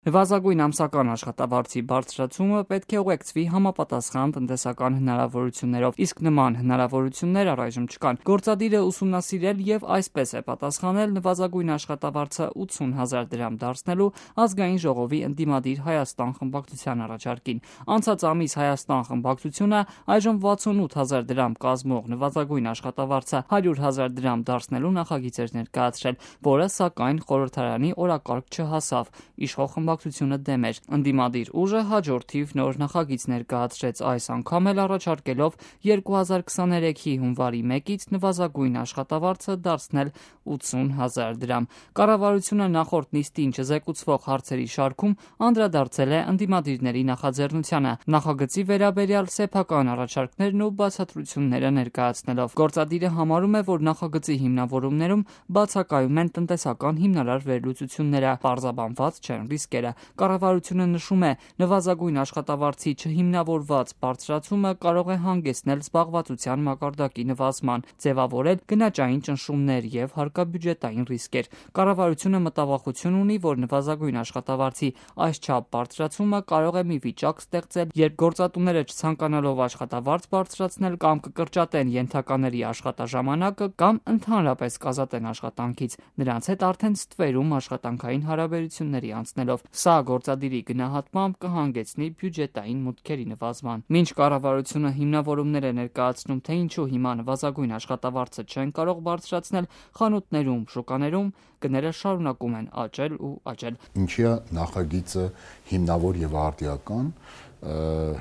Նվազագույն ամսական աշխատավարձի բարձրացումը պետք է ուղեկցվի համապատասխան տնտեսական հնարավորություններով, իսկ նման հնարավորություններ առայժմ չկան։ Գործադիրը ուսումնասիրել եւ այսպես է պատասխանել նվազագույն աշխատավարձը 80,000 դրամ դարձնելու ազգային ժողովի ընդդիմադիր Հայաստան խմբակցության առաջարկին։ Անցած ամիս Հայաստան խմբակցությունը այժմ 68,000 դրամ կազմող նվազագույն աշխատավարձը 100,000 դրամ դարձնելու նախագիծ էր ներկայացրել, որը սակայն խորհրդարանի օրակարգ չհասավ։ Իշխող խմբակցությունը դեմ էր։ Ընդդիմադիր ուժը հաջորդ թիվ նոր նախագիծ ներկայացրեց, այս անգամ էլ առաջարկելով 2023-ի հունվարի 1-ից նվազագույն աշխատավարձը դարձնել 80,000 դրամ։ Կառավարությունը նախորդ նիստին չզեկուցվող հարցերի շարքում անդրադարձել է ընդդիմադիրների նախաձեռնությանը, նախագծի վերաբերյալ սեփական առաջարկներն ու բացատրությունները ներկայացնելով։ Գործադիրը համարում է, որ նախագծի հիմնավորումներում բացակայում են տնտեսական հիմնարար վերլուծությունները, պարզաբանված չեն ռիսկերը։ Կառավարությունը նշում է, նվազագույն աշխատավարձի չհիմնավորված բարձրացումը կարող է հանգեցնել զբաղվածության մակարդակի նվազման, ձևավորել գնաճային ճնշումներ եւ հարկաբյուջետային ռիսկեր։ Կառավարությունը մտավախություն ունի, որ նվազագույն աշխատավարձի այսչափ բարձրացումը կարող է մի վիճակ ստեղծել, երբ գործատուները չցանկանալով աշխատավարձ բարձրացնել կամ կկրճատեն ենթակաների աշխատաժամանակը կամ ընդհանրապես կազատեն աշխատանքից, նրանց հետ արդեն ստվերում աշխատանքային հարաբերությունների անցնելով։ Սա գործադիրի գնահատմամբ կհանգեցնի բյուջետային մուտքերի նվազման։ Մինչ կառավարությունը հիմնավորումներ է ներկայացնում, թե ինչու հիմա նվազագույն աշխատավարձը չեն կարող բարձրացնել, խանութներում, շուկաներում գները շարունակում են աճել ու աճել։ Ինչի է նախագիծը հիմնավոր եւ արդիական,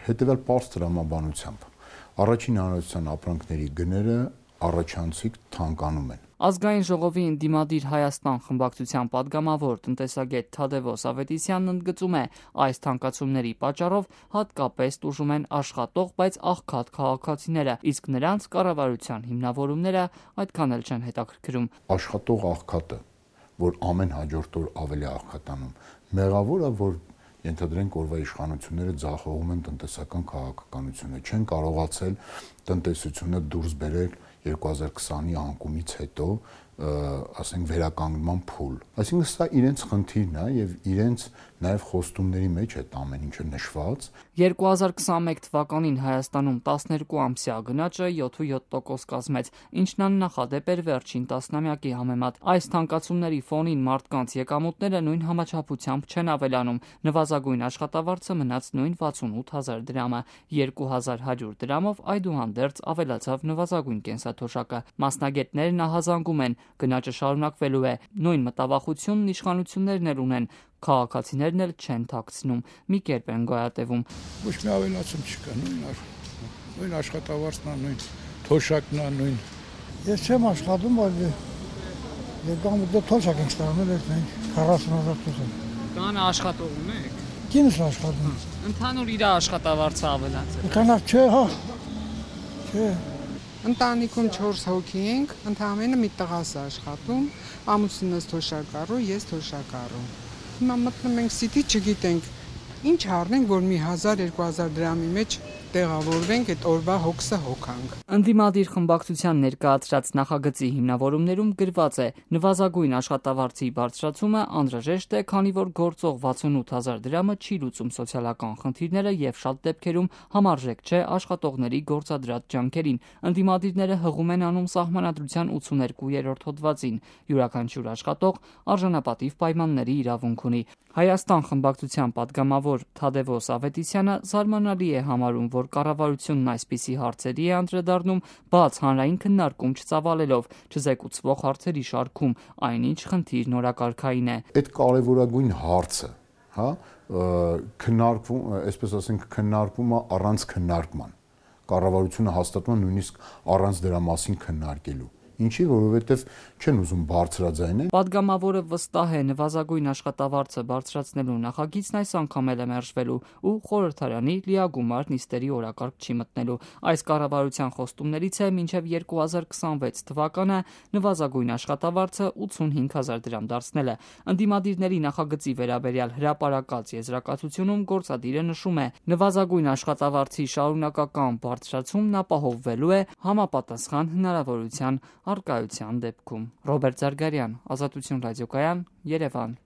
հետեւյալ պարզ տրամաբանությամբ։ Առաջին հանրության ապրանքների գները առաջանցիկ թանկանում են։ Ազգային ժողովի ընդդիմադիր Հայաստան խմբակցության падգամավոր տնտեսագետ Թադևոս Ավետիսյանն ընդգծում է, այս թանկացումների պատճառով հատկապես տուժում են աշխատող, բայց աղքատ քաղաքացիները, իսկ նրանց կառավարության հիմնավորումները այդքան էլ չեն հետաքրքրում։ Աշխատող աղքատը, որ ամեն հաջորդ օր ավելի աղքատանում, մեղավոր է, որ ենթադրենք օրվա իշխանությունները ձախողում են տնտեսական քաղաքականությունը, չեն կարողացել տնտեսությունը դուրս բերել 2020-ի անկումից հետո, ասենք վերականգնման փուլ։ Այսինքն սա իրենց խնդիրն է եւ իրենց նաեւ խոստումների մեջ է ամեն ինչը նշված։ 2021 թվականին Հայաստանում 12 ամսյա գնաճը 7.7% կազմեց, ինչն աննախադեպ էր վերջին տասնամյակի համեմատ։ Այս թանկացումների ֆոնին մարդկանց եկամուտները նույն համաչափությամբ չեն ավելանում։ Նվազագույն աշխատավարձը մնաց նույն 68,000 դրամը, 2,100 դրամով այդուհանդերձ ավելացավ նվազագույն կենսաթոշակը։ Մասնագետներն ահազանգում են, գնաճը շարունակվելու է։ Նույն մտավախությունն իշխանություններն էլ ունեն, քաղաքացիներն էլ չեն թաքցնում, մի կերպ են գոյատևում։ Ոչ մի ավելացում չկա, նույն աշխատավարձն է, նույն թոշակն է, նույն։ Ես չեմ աշխատում, բայց եկամուտը թոշակ եմ ստանում, 40,000 տոկոս։ Կան աշխատող ունեք։ Կինս աշխատում։ Ընդհանուր իր աշխատավարձը ավելացել։ Քանակ չէ, հա։ Չէ։ Ընտանիքում 4 հոգի ենք, ընդամենը մի տղաս աշխատում, ամուսինս թոշակառու, ես թոշակառու։ Հիմա մտնում ենք սիտի, չգիտենք ինչ առնենք, որ մի 1000-2000 դրամի մեջ տեղավորվենք, այդ օրվա հոգսը հոգանք։ Ընդդիմադիր խմբակցության ներկայացրած նախագծի հիմնավորումներում գրված է. նվազագույն աշխատավարձի բարձրացումը անհրաժեշտ է, քանի որ գործող 68,000 դրամը չի լուծում սոցիալական խնդիրները եւ շատ դեպքերում համարժեք չէ աշխատողների գործադրած ջանքերին։ Ընդդիմադիրները հղում են անում սահմանադրության 82-րդ հոդվածին. յուրաքանչյուր աշխատող արժանապատիվ պայմանների իրավունք ունի։ Հայաստան խմբակցության падգամավոր Թադևոս Ավետիսյանը զարմանալի է համարում, որ կառավարությունն այսպիսի հարցերի է անդրադառնում բաց հանրային քննարկում չծավալելով, չզեկուցվող հարցերի շարքում, այնինչ խնդիրն օրակարգային է։ Այդ կարևորագույն հարցը, հա, քննարկվում, այսպես ասենք, քննարկվում է առանց քննարկման։ Կառավարությունը հաստատում է նույնիսկ առանց դրա մասին քննարկելու։ Ինչի, որովհետև չեն ուզում բարձրաձայնել։ Պատգամավորը վստահ է, նվազագույն աշխատավարձը բարձրացնելու նախագիծն այս անգամ էլ է մերժվելու ու խորհրդարանի լիագումար նիստերի օրակարգ չի մտնելու։ Այս կառավարության խոստումներից է մինչև 2026 թվականը նվազագույն աշխատավարձը 85,000 դրամ դարձնելը։ Ընդդիմադիրների նախագծի վերաբերյալ հրապարակած եզրակացությունում գործադիրը նշում է, նվազագույն աշխատավարձի շարունակական բարձրացումն ապահովվելու է համապատասխան հնարավորության առկայության դեպքում։ Ռոբերտ Զարգարյան, Ազատություն ռադիոկայան, Երևան։